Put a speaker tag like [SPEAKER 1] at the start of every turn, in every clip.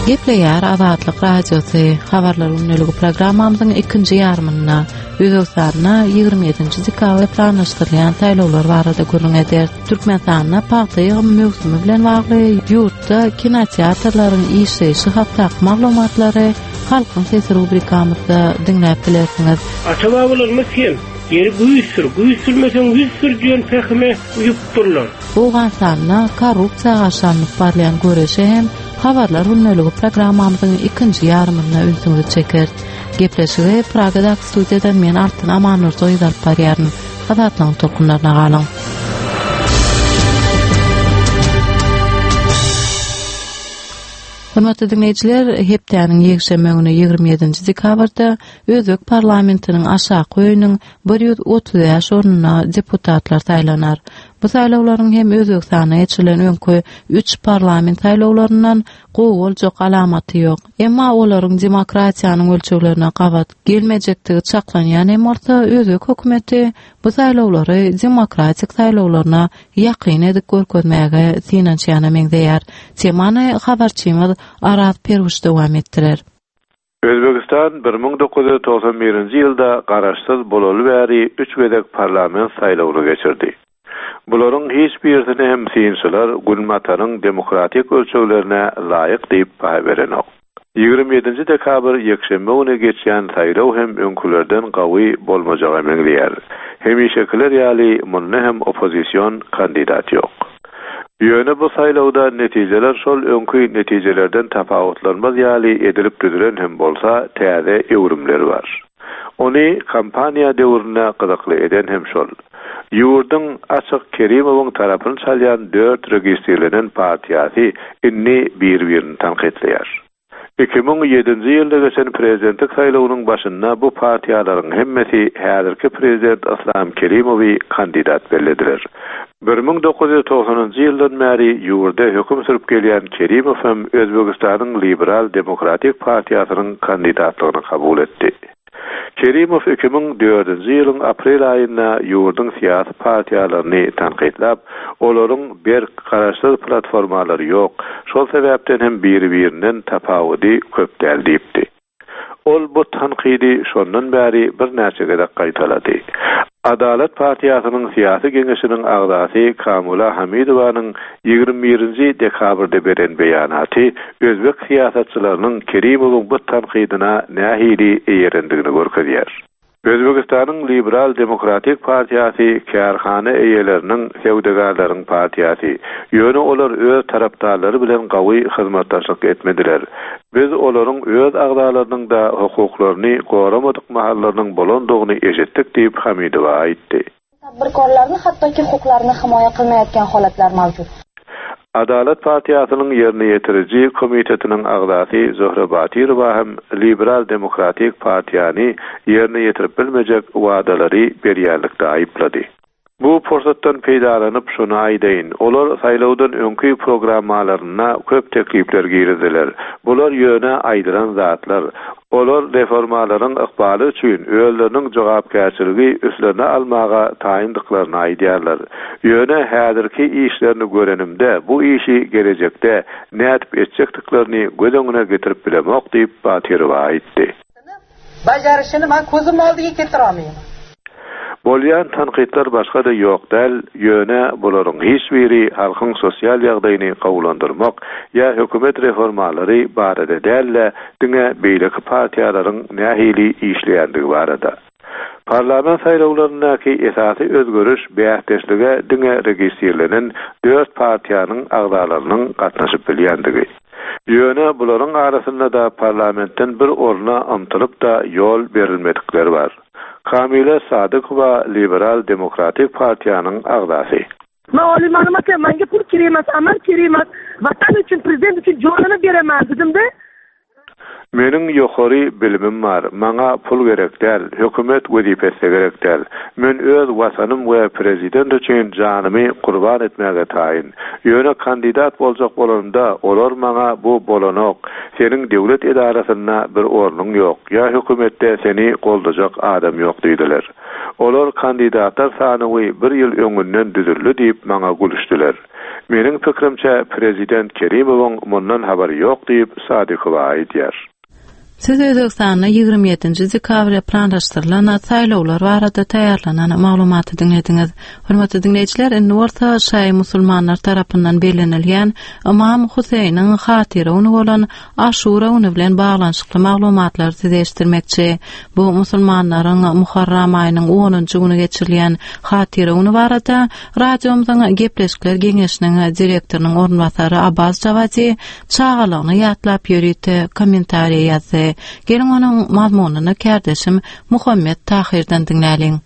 [SPEAKER 1] Gepleýär Azatlyk Radiosy, Habarlar gündeligi programmamyzyň ikinji ýarymynda Özbegistanda 27-nji dekabrda planlaşdyrylýan saýlawlar barada gürrüň ederis. Türkmenistanda pagta ýygymy möwsümi bilen bagly ýurtda kinoteatrlaryň işleýşi hakdaky maglumatlary Halkyň sesi rubrikamyzda diňläp bilersiňiz.
[SPEAKER 2] Ata-babalarymyz hem, Ýeri güýz sür, güýz sürmeseň ýüz sür diýen pähime uýupdyrlar.
[SPEAKER 1] Owganystanda korrupsiýa garşy alnyp barylýan göreşe hem Habarlar gündeligi programmamyzyň ikinji ýarymynda ünsüňizi çekeris. Gepleşigi Pragadaky studiýadan men Altyn Amannurdygyz alyp barýaryn. Azatlygyň tolkunlaryna galyň. Hormatly diňleýjiler, hepdäniň ýekşenbe güni 27-nji dekabrda özbek parlamentiniň aşaky öýüniň 135 ornuna deputatlar saýlanar. Bu saýlawlaryň hem Özbegistanda geçirilen öňki üç parlament saýlawlaryndan gowy boljak alamaty ýok. Emma olaryň demokratiýanyň ölçeglerine gabat gelmejekdigi çaklanýan hem bolsa, özbek hökümeti bu saýlawlary demokratik saýlawlaryna ýakyn edip görkezmäge synanyşýana meňzeýär. Temany habarçymyz Araz Perwiş dowam etdirer.
[SPEAKER 3] Özbegistan 1991-nji ýylda garaşsyz bolaly bäri üç gezek parlament saýlawyny geçirdi. Bularyň hiç birisini hem synçylar Günbataryň demokratik ölçeglerine laýyk diýip baha berenok. Ýigrimi ýedinji dekabr ýekşenbe güni geçýän saýlaw hem öňkülerden gawy bolmajaga meňzeýär. Hemişekiler ýaly munda hem oppozision kandidat ýok. Ýöne bu saýlawda netijeler şol öňki netijelerden tapawutlanmaz ýaly edilip düzülen hem bolsa, täze öwrümler bar. Ony kampaniýa döwründe gyzykly eden hem şol. Ýurduň açyk Kerimowyň tarapyny çalýan dört registrlenen partiýasy indi bir-birini tankytlaýar. 2007-nji ýylda geçen prezidentlik saýlawynyň başynda bu partiýalaryň hemmesi häzirki prezident Yslam Kerimowy kandidat bellediler. 1990-njy ýyldan bäri ýurda höküm sürüp gelýän Kerimow hem Özbegistanyň Liberal demokratik partiýasynyň kandidatlygyny kabul etdi. Kerimow 2004-nji ýylyň aprel aýynda ýurduň syýasy partiýalaryny tankytlap, olaryň berk, garaşsyz platformalary ýok, şol sebäpden hem biri-birinden tapawudy köp däl diýipdi. Ol bu tankydy şondan bäri birnäçe gezek gaýtalady. Adalat partiýasynyň syýasy geňeşiniň agzasy Kamula Hamidowanyň ýigrimi birinji dekabrda beren beýanaty özbek syýasatçylarynyň Kerimowyň bu tankydyna nähili eýerendigini görkezýär. Özbegistanyň Liberal demokratik partiýasy kärhana eýeleriniň, söwdagärleriň partiýasy. Ýöne olar öz tarapdarlary bilen gawy hyzmatdaşlyk etmediler. Biz olaryň öz agzalarynyň-da hukuklaryny goramadyk mahallarynyň bolandygyny eşitdik diýip, Hamidowa aýtdy.
[SPEAKER 4] Tadbirkorlarni hattoki huquqlarini himoya qilmayotgan holatlar mavjud.
[SPEAKER 3] Adalat partiýasynyň ýerine ýetiriji komitetiniň agzasy Zöhre Batyrowa hem Liberal demokratik partiýany ýerine ýetirip bilmejek wadalary berýänlikde aýyplady. Bu pursatdan peýdalanyp şuny aýdaýyn, olar saýlawdan öňki programmalarynda köp teklipler girizdiler. Bular ýöne aýdylan zatlar. Olar reformalaryň ykbaly üçin özleriniň jogapkärçiligi üstlerine almaga taýyndyklaryny aýdýarlar. Ýöne häzirki işlerini görenimde bu işi gelejekde nädip etjekdiklerini göz öňüne getirip bilemok diýip, Batyrowa aýtdy.
[SPEAKER 5] Bajarishini man ko'zim oldiga keltirolmayman.
[SPEAKER 3] Bolýan tankytlar başga-da ýok däl, ýöne bularyň hiç biri halkyň sosial ýagdaýyny gowulandyrmak ýa hökümet reformalary barada däl-de, diňe beýleki partiýalaryň nähili işleýändigi barada. Parlament saýlawlaryndaky esasy özgeriş bäsdeşlige diňe registrlenen dört partiýanyň agzalarynyň gatnaşyp bilýändigi. Ýöne bularyň arasynda-da parlamentden bir orna ymtylyp-da ýol berilmedikler bar. Kamila Sadykowa Liberal demokratik partiýanyň agzasy.
[SPEAKER 5] Man oliy ma'lumotli, manga pul kerak emas, amal kerak emas, vatan uchun, prezident uchun jonini beraman dedim-da.
[SPEAKER 3] Meniň ýokary bilimim bar, maňa pul gerek däl, hökümet wezipesi-de gerek däl. Men öz Watanym we prezident üçin janymy gurban etmäge taýyn. Ýöne kandidat boljak bolanymda, olar maňa bu bolanok, seniň döwlet edarasynda bir ornuň ýok, ýa hökümetde seni goldajak adam ýok diýdiler. Olar kandidatlar sanawy bir ýyl öňünden düzüldi diýip maňa gülüşdiler. Meniň pikirimçe, prezident Kerimowyň mundan habary ýok diýip, Sadykowa aýdýar.
[SPEAKER 1] Siz Özbegistanda 27-nji dekabrda planlaşdyrylan saýlawlar barada taýýarlanan maglumaty diňlediňiz. Hormatly diňleýjiler, indi bolsa şaýy musulmanlar tarapyndan bellenilýän Ymam Huseýniň hatyra güni bolan Aşura güni bilen baglanyşykly maglumatlary size eşitdirmekçi. Bu musulmanlaryň Muharram aýynyň onunjy güni geçirilýän hatyra güni barada radiomyzyň Gepleşikler geňeşiniň direktorynyň orunbasary Abbas Jawadi çagalygyny ýatlap ýörite kommentariý ýazdy. Geliň onuň mazmunyny kärdeşim Muhammet Tahyrdan diňläliň.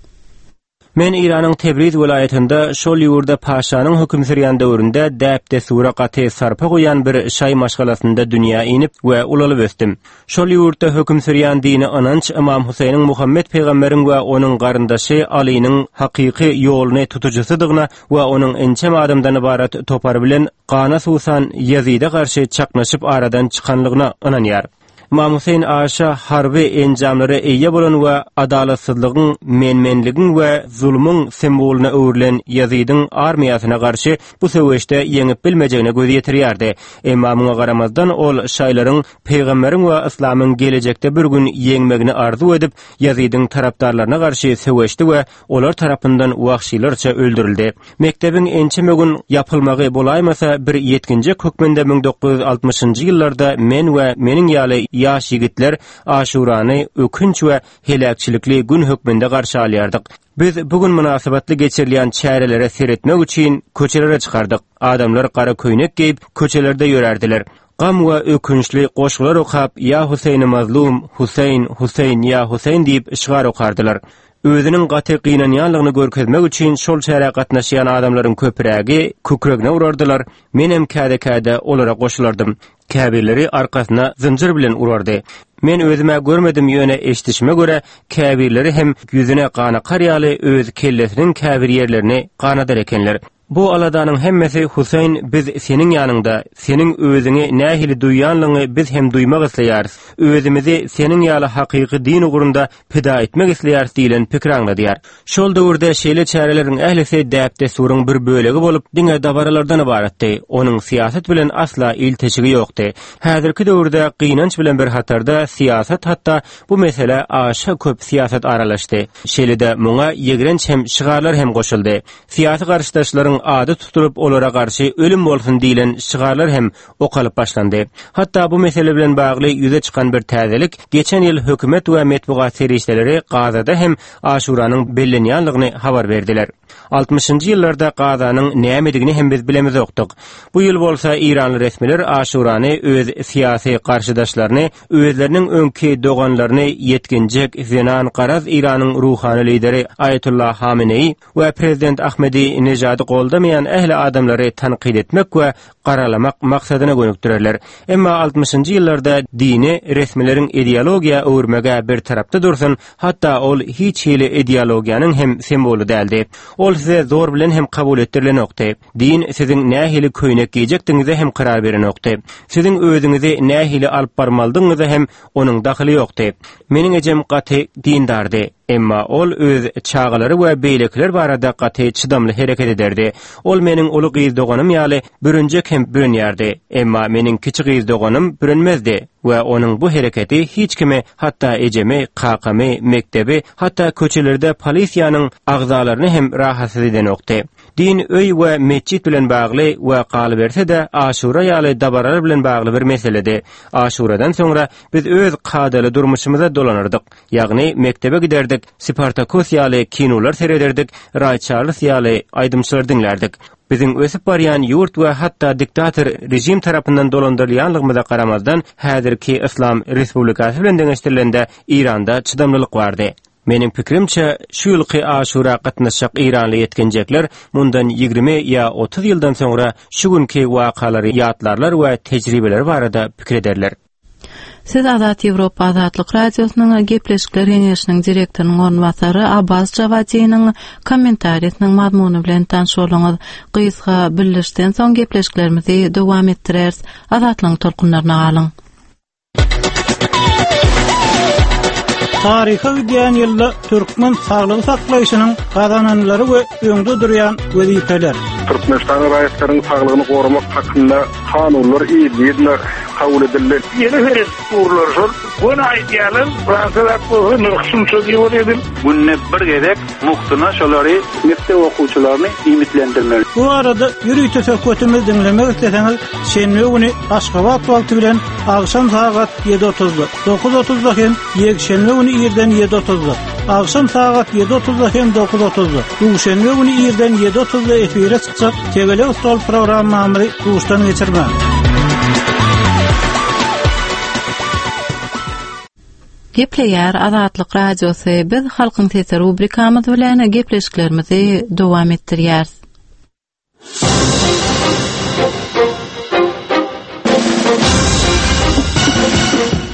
[SPEAKER 6] Men Eýranyň Tebriz welaýatynda şol ýurda paşanyň höküm sürýän döwründe däp-dessura gaty sarpa goýýan bir şaý maşgalasynda dünýä inip we ulalyp ösdüm. Şol ýurtda höküm sürýän dini ynanç Ymam Huseýniň Muhammet pygamberiň we onuň garyndaşy Alynyň hakyky ýoluny tutujysydygyna we onuň ençeme adamdan ybarat topary bilen gana suwsan Ýezide garşy çaknyşyp aradan çykanlygyna ynanýar. Ymam Huseýn aşa harby enjamlara eýe bolan we adalatsyzlygyň, men-menligiň we zulumyň simwolyna öwrülen Ýezidiň armiýasyna garşy bu söweşde ýeňip bilmejegine göz ýetirýärdi. Emma muňa garamazdan ol şaýlaryň pygamberiň we yslamyň gelejekde bir gün ýeňmegini arzuw edip, Ýezidiň tarapdarlaryna garşy söweşdi we olar tarapyndan wagşylarça öldürildi. Mekdebiň ençeme gün ýapylmagy bolaýmasa, bir ýetginjek hökmünde 1960-njy ýyllarda men we meniň ýaly ýaş ýigitler Aşurany ökünç we heläkçilikli gün hökmünde garşy alýardyk. Biz bu gün mynasybetli geçirilýän çärelere seretmek üçin köçelere çykardyk. Adamlar gara köýnek geýip, köçelerde ýörärdiler. Gam we ökünçli goşgular okap, Ýa Huseýni mazlum, Huseýn, Huseýn, ýa Huseýn diýip şygar okardylar. Özüniň gaty gynanýanlygyny görkezmek üçin şol çärä gatnaşýan adamlaryň köprägi kükregine urardylar, menem käde-käde olara goşulardym. Käbirleri arkasyna zynjyr bilen urardy. Men özüm-ä görmedim, ýöne eşidişime görä, käbirleri hem ýüzüne gan akar ýaly öz kellesiniň käbir ýerlerini ganadar ekenler. Bu aladanyň hemmesi Huseýn biz seniň ýanyňda, seniň özüňi nähili duýýanlygyňy biz hem duýmak isleýäris, özümizi seniň ýaly hakyky din ugrunda pida etmek isleýäris diýlen pikiri aňladýar. Şol döwürde şeýle çäreleriň ählisi däp-dessuryň bir bölegi bolup, diňe dabaralardan ybaratdy, onuň syýasat bilen asla ilteşigi ýokdy. Häzirki döwürde gynanç bilen bir hatarda syýasat hatda bu meselä aşa köp syýasat aralaşdy. Şeýle-de muňa ýigrenç hem şygarlar hem goşuldy. Syýasy garşydaşlaryň ady tutulyp, olara garşy ölüm bolsun diýlen şygarlar hem okalyp başlandy. Hatda bu mesele bilen bagly ýüze çykan bir täzelik, geçen ýyl hökümet we metbugat serişdeleri Gazada hem Aşuranyň bellenýänligini habar berdiler. Altmyşynjy ýyllarda Gazanyň nämedigini hem biz bilemizokdyk. Bu ýyl bolsa eýranly resmiler Aşurany öz syýasy garşydaşlaryny, özleriniň öňki doganlaryny ýetginjek zenan garaz Eýranyň ruhany lideri Aýatullah Hameneýi we prezident Ahmedi Nejady goldamaýan ähli adamlary tankyt etmek we garalamak maksadyna gönükdirerler. Emma altmyşynjy ýyllarda dini resmileriň ideologiýa öwürmeg-ä bir tarapda dursun, hatda ol hiç hili ideologiýanyň hem simwoly däldi. Ol size zor bilen hem kabul etdirilenokdy. Din siziň nähili köýnek geýjekdigiňize hem karar berenokdy. Siziň özüňizi nähili alyp barmalydygyňyza hem onuň dahyly ýokdy. Meniň ejem gaty dindardy. Emma ol öz çagalary we beýlekiler barada gaty çydamly hereket ederdi. Ol meniň uly gyz doganym ýaly bürünjek hem bürenýärdi. Emma meniň kiçi gyz doganym bürenmezdi we onuň bu hereketi hiç kimi, hatda ejemi, kakamy, mekdebi, hatda köçelerde polisiýanyň agzalaryny hem rahatsyz edenokdy. Din öý we metjit bilen bagly we galyberse-de Aşura ýaly dabaralar bilen bagly bir meseledi. Aşuradan soňra biz öz kadaly durmuşymyza dolanardyk. Ýagny mekdebe giderdik, Spartakus ýaly kinolar serederdik, Raý Çarlz ýaly aýdymçylary diňlärdik. Biziň ösüp barýan ýurt we hatda diktator režim tarapyndan dolandyrylýanlygymyza garamazdan, häzirki Yslam Respublikasy bilen deňeşdirilende Eýranda çydamlylyk bardy. Meniň pikirimçe, şu ýylky Aşura gatnaşjak eýranly ýetginjekler mundan 20 ýa 30 ýyldan soňra şu günki wakalary ýatlarlar we tejribeleri barada pikir ederler.
[SPEAKER 1] Siz Azat Ýewropa Azatlyk Radiosynyň Gepleşikler geňeşiniň direktorynyň orunbasary Abbas Jawadiniň kommentariýasynyň mazmuny bilen tanyş bolduňyz. Gysga bildirişden soň gepleşiklerimizi dowam etdireris. Azatlygyň tolkunlaryna galyň.
[SPEAKER 7] Taryha gidýän ýylda türkmen saglygy saklaýşynyň gazananlary we öňde durýan wezipeler.
[SPEAKER 8] Türkmenistanyň raýatlarynyň saglygyny goramak hakynda kanunlar yzly-yzyna kabul edildi.
[SPEAKER 2] Ýene seredip durlar şol. Göni aýdýarlar, Fransiýa zat bolsa nyrh şunça diýip ol edil.
[SPEAKER 9] Günde bir gezek mugtuna şolary mekdep okuwçylaryny iýmitlendirmeli.
[SPEAKER 7] Bu barada ýörite söhbetimizi diňlemek isleseňiz, şenbe güni Aşgabat wagty bilen agşam sagat ýedi otuzda, dokuz otuzda hem ýekşenbe güni irden ýedi otuzda, agşam sagat ýedi otuzda hem dokuz otuzda, duşenbe güni irden ýedi otuzda efire çykjak Tegelek stol programmamyzy duşdan geçirmäň.
[SPEAKER 1] Gepleýär Azatlyk Radiosy, biz Halkyň sesi rubrikamyz bilen gepleşiklerimizi dowam etdirýäris.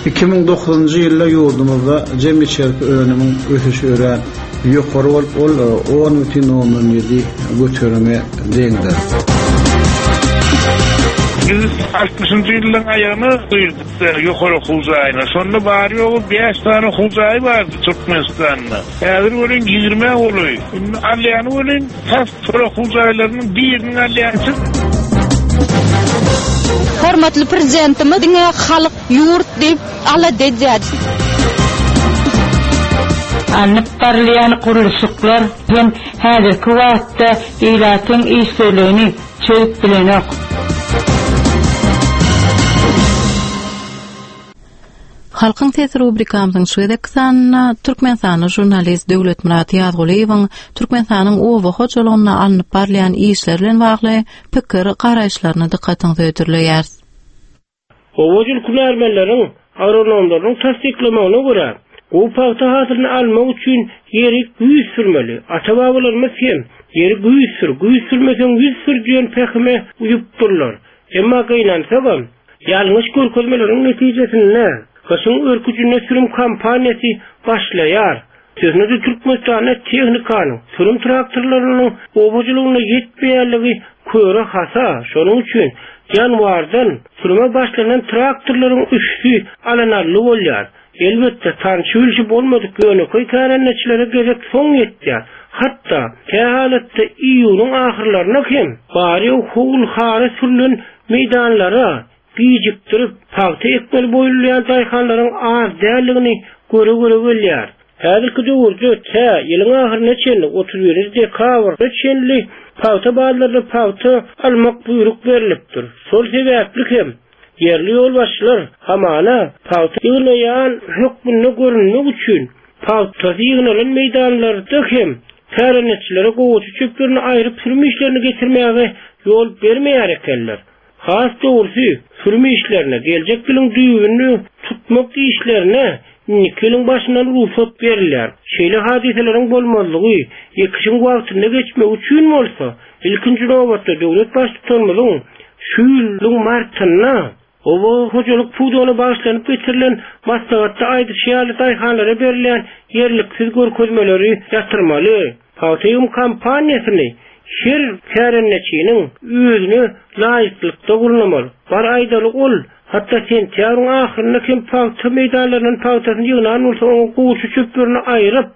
[SPEAKER 10] 2009-njy ýylda ýurdumyzda jemi içerki önümiň ösüşi örän ýokary bolup, ol 10,7 göterime deňdir.
[SPEAKER 2] Biz altmyşynjy ýyllaryň aýagyna girdik ýokary okuw jaýyna. Şonda bary-ýogy bäş sany okuw jaýy bardy Türkmenistanda. Häzir welin ýigrimä golaý. Indi alýany welin tas şol okuw jaýlarynyň biriniň alýançy.
[SPEAKER 11] Hormatly Prezidentimiz diňe halk, ýurt diýip alada edýär.
[SPEAKER 12] Alnyp barylýan gurluşyklar hem häzirki wagtda ilatyň işsizligini çözüp bilenok.
[SPEAKER 1] Halkyň sesi rubrikamyzyň şu gezekki sanynda türkmenistanly žurnalist Döwletmyrat Ýazgulyýewiň Türkmenistanyň oba hojalygynda alnyp barylýan işler bilen bagly pikir, garaýyşlaryny dykgatyňyza hödürleýäris.
[SPEAKER 2] Obaçylyk hünärmenleriň, agronomlaryň tassyklamagyna görä, gowy pagta hasylyny almak üçin ýeri güýz sürmeli. Ata-babalarymyz hem, Ýeri güýz sür, güýz sürmeseň ýüz sür diýen pähime uýupdyrlar. Emma gynansagam, ýalňyş görkezmeleriň netijesinde, gyşyň örküjinde sürüm kampaniýasy başlaýar. Sözüne-de Türkmenistanda tehnikanyň, sürüm traktorlarynyň oba hojalygynda ýetmeýänligi köre hasa, şonuň üçin ýanwardan sürüme başlanan traktorlaryň üsti alanally bolýar. Elbetde, tanşy-bilşi bolmadyk ýönekeý kärendeçilere gezek soň ýetýär. Hatda, kähalatda iýunyň ahyrlaryna hem bary-ýogy howul-hara sürlen meýdanlara gijikdirip, pagta ekmeli boýulýan daýhanlaryň az däldigini göre-göre gelýär. Häzirki döwürde tä ýylyň ahyryna çenli, 31 dekabra çenli pagta bazarynda pagta almak buýruk berlipdir. Şol sebäpli hem, Ýerli ýolbaşçylar hamana pagta ýygnaýan hökmünde görünmek üçin pagtasy ýygnalan meýdanlarda hem kärendeçilere gowaça çöplerini aýryp sürüm işlerini geçirmäge ýol bermeýär ekenler. Has dogrusy, sürüm işlerine, geljek ýylyň düýbüni tutmak işlerine indiki ýylyň başyndan rugsat berilýär. Şeýle hadysalaryň bolmazlygy, ekişiň wagtynda geçmegi üçin bolsa, ilkinji nobatda döwlet Baştutanymyzyň Şu ýylyň martynda oba hojalyk pudagyna bagyşlanyp geçirilen maslahatda aýdyşy ýaly daýhanlara berilýän ýerliksiz görkezmeleri ýatyrmaly. Pagta ýygym kampaniýasyny her kärendeçiniň özüne laýyklykda gurnamaly. Bar aýdaly ol, hatda sentýabryň ahyrynda hem pagta meýdanlaryndan pagtasyny ýygnan bolsa oňa gowaça çöplerini aýryp,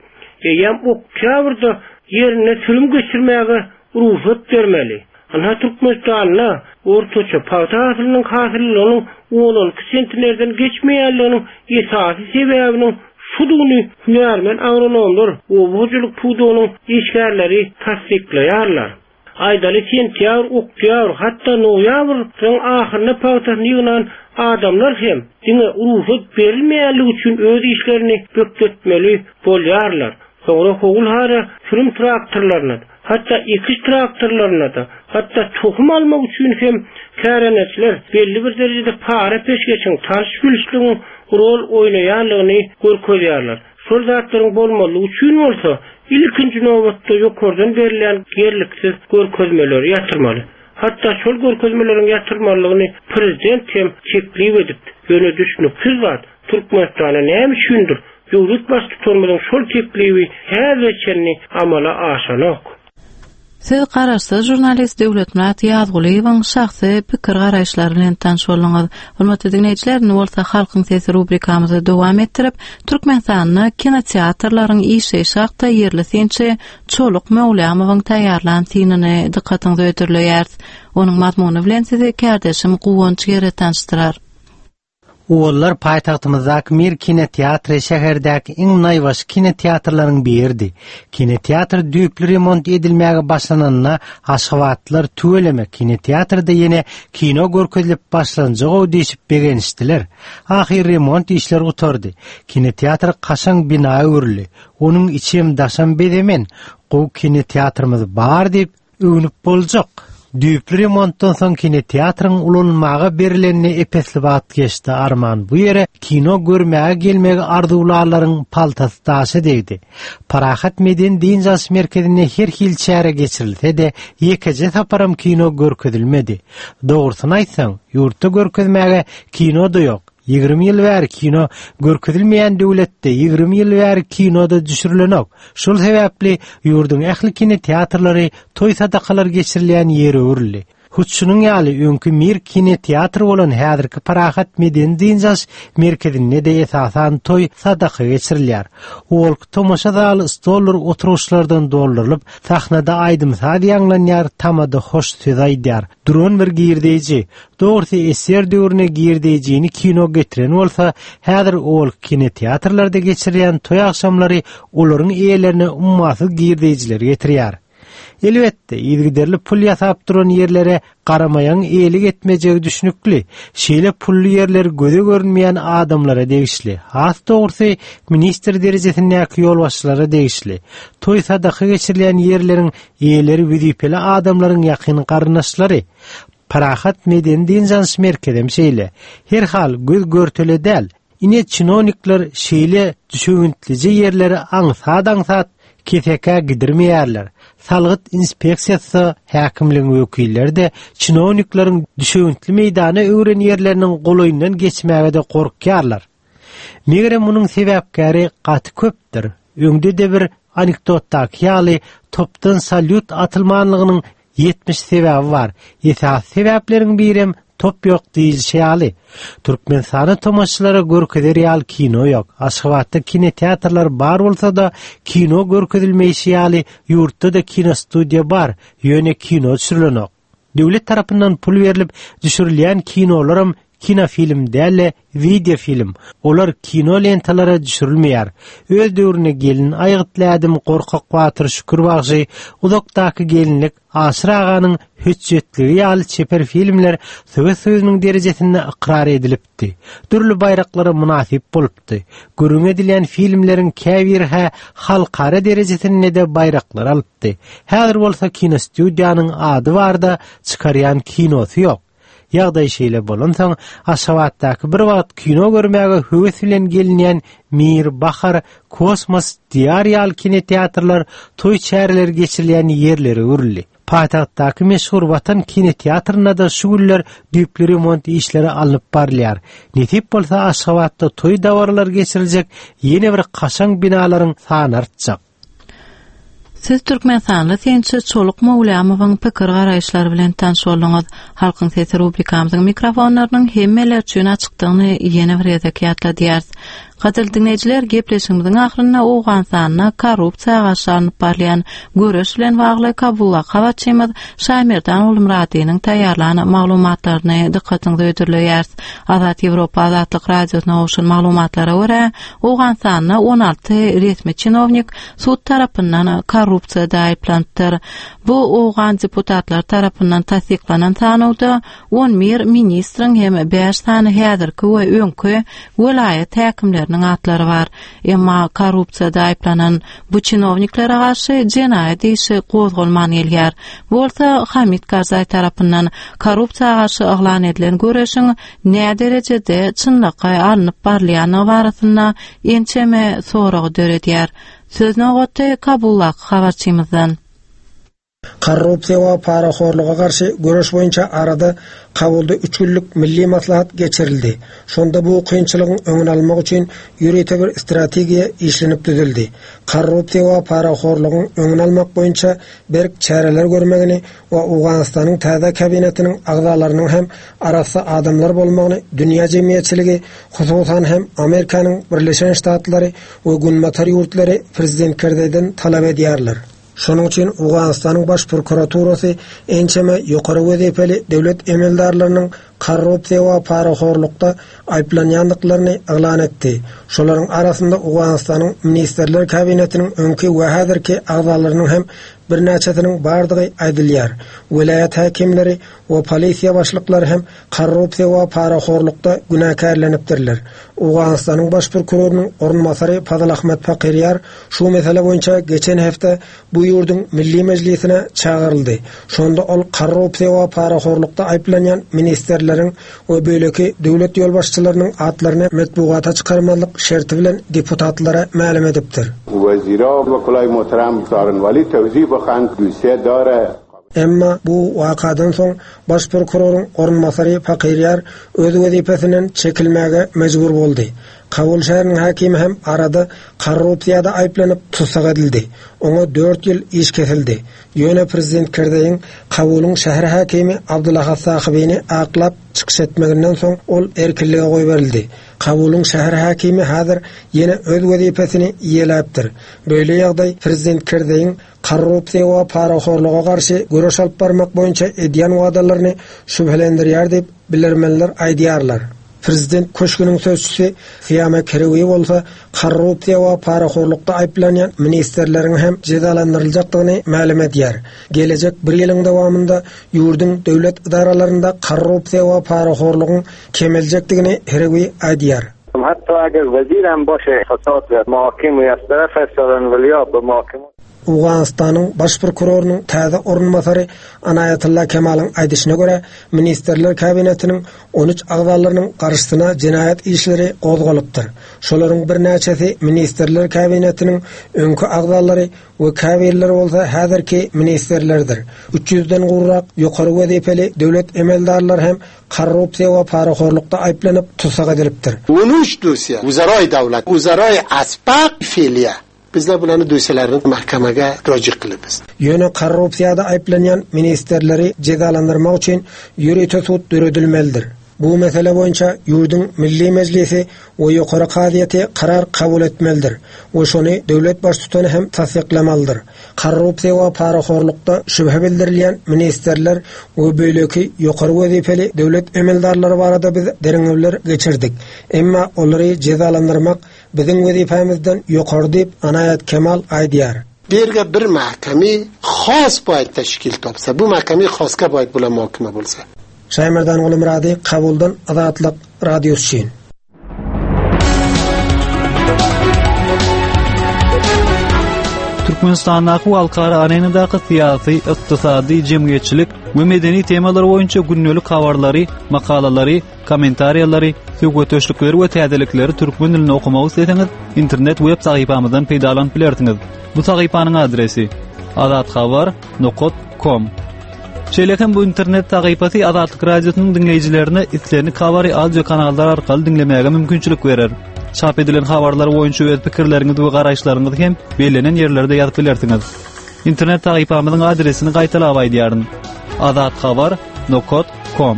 [SPEAKER 2] eýýäm oktýabrda ýerinde sürüm geçirmäge rugsat bermeli. Ynha Türkmenistanda ortaça pagta hasylynyň hasyllylygynyň on-on iki sentnerden geçmeýänliginiň esasy sebäbiniň şudugyny hünärmen agronomlar, oba hojalyk pudagynyň işgärleri tassyklaýarlar. Aýdaly sentýabr, oktýabr, hatda noýabryň ahyrynda pagtasyny ýygnan adamlar hem diňe rugsat berilmeýänligi üçin öz işlerini bökdetmeli bolýarlar. Soňra howul-hara sürüm traktorlaryna, hatda ekiş traktorlaryna-da, hatda tohum almak üçin hem kärendeçiler belli bir derejede para-peşgeşiň, tanyş-bilişligiň rol oýnaýandygyny görkezýärler. Şol zatlaryň bolmazlygy üçin bolsa, ilkinji nobatda ýokardan berilýän ýerliksiz görkezmeleri ýatyrmaly. Hatda şol görkezmeleriň ýatyrmalydygyny prezident hem teklip edipdi. Ýöne düşnüksiz zat, Türkmenistanda näme üçindir, döwlet Baştutanymyzyň şol teklibi häzire çenli amala aşanok.
[SPEAKER 1] Siz garaşsyz žurnalist Döwletmyrat Ýazgulyýewiň şahsy pikir-garaýyşlary bilen tanyş bolduňyz. Hormatly diňleýjiler, indi bolsa Halkyň sesi rubrikamyzy dowam etdirip, Türkmenistanda kinoteatrlaryň işleýşi hakda ýerli synçy Çoluk Möwlamowyň taýýarlan synyny dykgatyňyza hödürleýäris. Onuň mazmuny bilen sizi kärdeşim Guwanç Gere tanyşdyrar.
[SPEAKER 13] Owallar paýtagtymyzdaky Mir kinoteatry şäherdäki iň naýbaşy kinoteatrlaryň biridi. Kinoteatr düýpli remont edilmäge başlananda aşgabatlylar tüweleme kinoteatrda ýene kino görkezilip başlanjag-ow diýşip begenişdiler. Ahyry remont işleri gutardy. Kinoteatr kaşaň bina öwrüldi. Onuň içem daşam bezemen. Gowy kinoteatrymyz bar diýip, Öwnüp boljak. Düýpli remontdan soň kinoteatryň ulanylmaga berilenine ep-esli wagt geçdi, arman bu ýere kino görmäge gelmegi arzuwlanlaryň paltasy daşa degdi. Parahat medeni-dynç alyş merkezinde her hili çäre geçirilse-de, ýekeje saparam kino görkezilmedi. Dogrusyny aýtsaň, ýurtda görkezmäge kino-da ýok. 20 ýyl bäri kino görkezilmeýän döwletde 20 ýyl bäri kino-da düşürilenok. Şol sebäpli ýurduň ähli kinoteatrlary toý-sadakalar geçirilýän ýere öwrüldi. Hut şunuň ýaly öňki Mir kinoteatry bolan häzirki Parahat medeni-dynç alyş merkezinde-de esasan toý, sadaka geçirilýär. Owalky tomaşa zaly stoldur oturgyçlardan doldurylyp, sahnada aýdym-saz ýaňlanýar, tamada hoş söz aýdýar. Duran bir girdeýji. Dogrusy SSR döwründe girdeýjini kino getiren bolsa, häzir owalky kinoteatrlarda geçirilýän toý agşamlary olaryň eýelerine ummasyz girdeýjileri getirýär. Elbetde, yzygiderli pul ýasap duran ýerlere garamaýagyň eýelik etmejegi düşnükli. Şeýle pully ýerler göze görünmeýän adamlara degişli. Has dogrusy, ministr derejesindäki ýolbaşçylara degişli. Toý-sadaka geçirilýän ýerleriň eýeleri wezipeli adamlaryň ýakyn garyndaşlary. Parahat medeni-dynç alyş merkezem şeýle. Herhal, göz-görtele däl. Ine, çinownikler şeýle düşewüntlije ýerleri aňsat-aňsat kesekä gidirmeýärler. Salgyt inspeksiýasy-da, häkimligiň wekilleri-de çinownikleriň düşewüntli meýdana öwren ýerleriniň golaýyndan geçmäge-de gorkýarlar. Megerem munuň sebäpkäri gaty köpdür. Öňde-de bir anekdotdaky ýaly topdan salýut atylmanlygynyň 70 sebäbi bar. Esasy sebäpleriň birem top ýok diýilişi ýaly. Türkmenistanda tomaşaçylara görkezer ýaly kino ýok. Aşgabatda kinoteatrlar bar bolsa-da, kino görkezilmeýşi ýaly ýurtda-da kinostudiýa bar, ýöne kino düşürilenok. Döwlet tarapyndan pul berlip düşürilýän kinolaram kinofilm däl-de, wideofilm. Olar kino lentalara düşürilmeýär. Öz döwründe Gelin aýgytly ädim, Gorkak batyr, Şükür bagşy, Uzakdaky gelinlik, Aşyr aganyň hötjetligi ýaly çeper filmler Sowet Soýuzynyň derejesinde ykrar edilipdi. Dürli baýraklara mynasyp bolupdy. Gürrüňi edilýän filmleriň käbiri-hä halkara derejesinde-de baýraklar alypdy. Häzir bolsa kinostudiýanyň ady bar-da, çykarýan kinosy ýok. Ýagdaý şeýle bolansoň, Aşgabatdaky bir wagt kino görmäge höwes bilen gelinýän Mir, Bahar, Kosmos, Diýar ýaly kinoteatrlar toý çäreleri geçirilýän ýerlere öwrüldi. Paýtagtdaky meşhur Watan kinoteatrynda-da şu günler düýpli remont işleri alnyp barylýar. Nesip bolsa, Aşgabatda toý dabaralary geçiriljek ýene bir kaşaň binalaryň sany artjak.
[SPEAKER 1] Siz türkmenistanly synçy Çoluk Mowlamowyň pikir-garaýyşlary bilen tanyş bolduňyz. Halkyň sesi rubrikamyzyň mikrofonlarynyň hemmeler üçin açykdygyny ýene bir gezek ýatladýarys. Gadyrly diňleýjiler, gepleşigimiziň ahyrynda Owganystanda korrupsiýa garşy alnyp barylýan göreş bilen bagly Kabuldaky habarçymyz Şaýmerdan Gulmyradynyň taýýarlan maglumatlaryny dykgatyňyza hödürleýäris. Azat Ýewropa Azatlyk Radiosyna gowşan maglumatlara görä, Owganystanda 16 resmi çinownik sud tarapyndan korrupsiýada aýyplanypdyr. Bu owgan deputatlary tarapyndan tassyklanan sanawda 11 ministriň hem bäş sany häzirki we öňki welaýat häkimleriniň atlary bar. Emma korrupsiýada aýyplanan bu çinowniklere garşy jenaýat işi gozgalman gelýär. Bu bolsa Hamid Karzaý tarapyndan korrupsiýa garşy yglan edilen göreşiň näderejede çynlakaý alnyp barylýandygy barasynda ençeme soragy döredýär. Söz nobaty Kabuldaky habarçymyzdan.
[SPEAKER 14] Korrupsiýa we parahorluga garşy göreş boýunça arada Kabulda üç günlük milli maslahat geçirildi. Şonda bu kynçylygyň öňüni almak üçin ýörite bir strategiýa işlenip düzüldi. Korrupsiýa we parahorlugyň öňüni almak boýunça berk çäreler görmegini we Owganystanyň täze kabinetiniň agzalarynyň hem arassa adamlar bolmagyny dünýä jemgyýetçiligi, hususan hem Amerikanyň Birleşen Ştatlary we Günbatar ýurtlary prezident Kerzeýden talap edýärler. Şonuň üçin Owganystanyň Baş prokuraturasy ençeme ýokary wezipeli döwlet emeldarlarynyň korrupsiýa we parahorlukda aýyplanýandyklaryny yglan etdi. Şolaryň arasynda Owganystanyň Ministrler Kabinetiniň öňki we häzirki agzalarynyň hem birnäçesiniň bardygy aýdylýar. Welaýat häkimleri we polisiýa başlyklary hem korrupsiýa we parahorlukda günäkärlenipdirler. Owganystanyň baş prokurorynyň orunbasary Fazl Ahmed Fakirýar şu mesele boýunça geçen hepde bu ýurduň Milli Mejlisine çagyryldy. Şonda ol korrupsiýa we parahorlukda aýyplanýan ministrleriň we beýleki döwlet ýolbaşçylarynyň atlaryny metbugata çykarmazlyk şerti bilen deputatlara mälim edipdir. Emma bu wakadan soň baş prokuroryň orunbasary Fakirýar öz wezipesinden çekilmäge mejbur boldy. Kabul şäheriniň häkimi hem arada korrupsiýada aýyplanyp tussag edildi. Oňa dört ýyl iş kesildi. Ýöne prezident Kerzeýiň Kabulyň şäher häkimi Abdulahat Sahybini aklap çykyş etmeginden soň ol erkinlige goýberildi. Kabulyň şäher häkimi häzir ýene öz wezipesini eýeläpdir. Beýle ýagdaý prezident Kerzeýiň korrupsiýa we parahorluga garşy göreş alyp barmak boýunça edýän wadalaryny şübhelendirýär diýip, bilermenler aýdýarlar. Prezident köşgüniň sözçüsi Syýama Kerewi bolsa korrupsiýa we parahorlukda aýyplanýan ministrleriň hem jezalandyryljakdygyny mälim edýär. Gelejek bir ýylyň dowamynda ýurduň döwlet edaralarynda korrupsiýa we parahorlugyň kemeljekdigini Herewi aýdýar. Owganystanyň Baş prokurorynyň täze orunbasary Anaýatylla Kemalyň aýdyşyna görä, Ministrler Kabinetiniň 13 agzalarynyň garşysyna jenaýat işleri gozgalypdyr. Şolaryň birnäçesi Ministrler Kabinetiniň öňki agzalary we käbirleri bolsa häzirki ministrlerdir. Üç ýüzden gowrak ýokary wezipeli döwlet emeldarlary hem korrupsiýa we parahorlukda aýyplanyp tussag edilipdir.
[SPEAKER 15] On üç dosýa, wuzaraý döwlet, wuzaraý asbak feliýa. Bizler bularny dosýalaryny mahkamaga roji kylybiz.
[SPEAKER 14] Ýöne korrupsiýada aýyplanýan ministrleri jezalandyrmak üçin ýörite sud döredilmelidir. Bu mesele boýunça ýurduň Milli Mejlisi we Ýokary kazyýeti karar kabul etmelidir we şony döwlet Baştutany hem tassyklamalydyr. Korrupsiýa we parahorlukda şübhe bildirilýän ministrler we beýleki ýokary wezipeli döwlet emeldarlary barada biz derňewler geçirdik. Emma olary jezalandyrmak biziň wezipämizden ýokary diýip, Anaýat Kemal aýdýar.
[SPEAKER 15] Bu ýerge bir mahkeme has baýat teşkil tapsa, bu mahkeme haska baýat bolan mahkeme bolsa.
[SPEAKER 14] Şaýmerdan Gulumyrady, Kabuldan Azatlyk Radiosy üçin.
[SPEAKER 16] Türkmenistandaky we halkara arenadaky syýasy, ykdysady, jemgyýetçilik we medeni temalar boýunça gündelik habarlary, makalalary, kommentariýalary, söhbetdeşlikleri we täzelikleri türkmen dilinde okamak isleseňiz, internet web sahypamyzdan peýdalanyp bilersiňiz. Bu sahypanyň adresi azathabar.com Şeýle hem bu internet sahypasy Azatlyk Radiosynyň diňleýjilerine islendik habary audio kanallar arkaly diňlemäge mümkinçilik berer. Çap edilen habarlar boýunça öz pikirleriňizi we garaýyşlaryňyzy hem bellenen ýerlerde ýazyp bilersiňiz. Internet sahypamyzyň adresini gaýtalap aýdýaryn. azathabar.com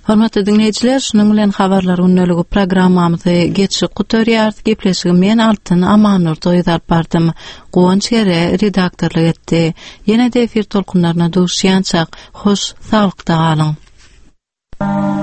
[SPEAKER 1] Hormatly diňleýjiler, şunuň bilen habarlar gündeligi programmamyzy geçip gutarýarys. Gepleşigi men Altyn Amannurdy gyz alyp bardym. Guwanç Gere redaktorlyk etdi. Ýene-de efir tolkunlaryna duşýançak, hoş saglykda galyň.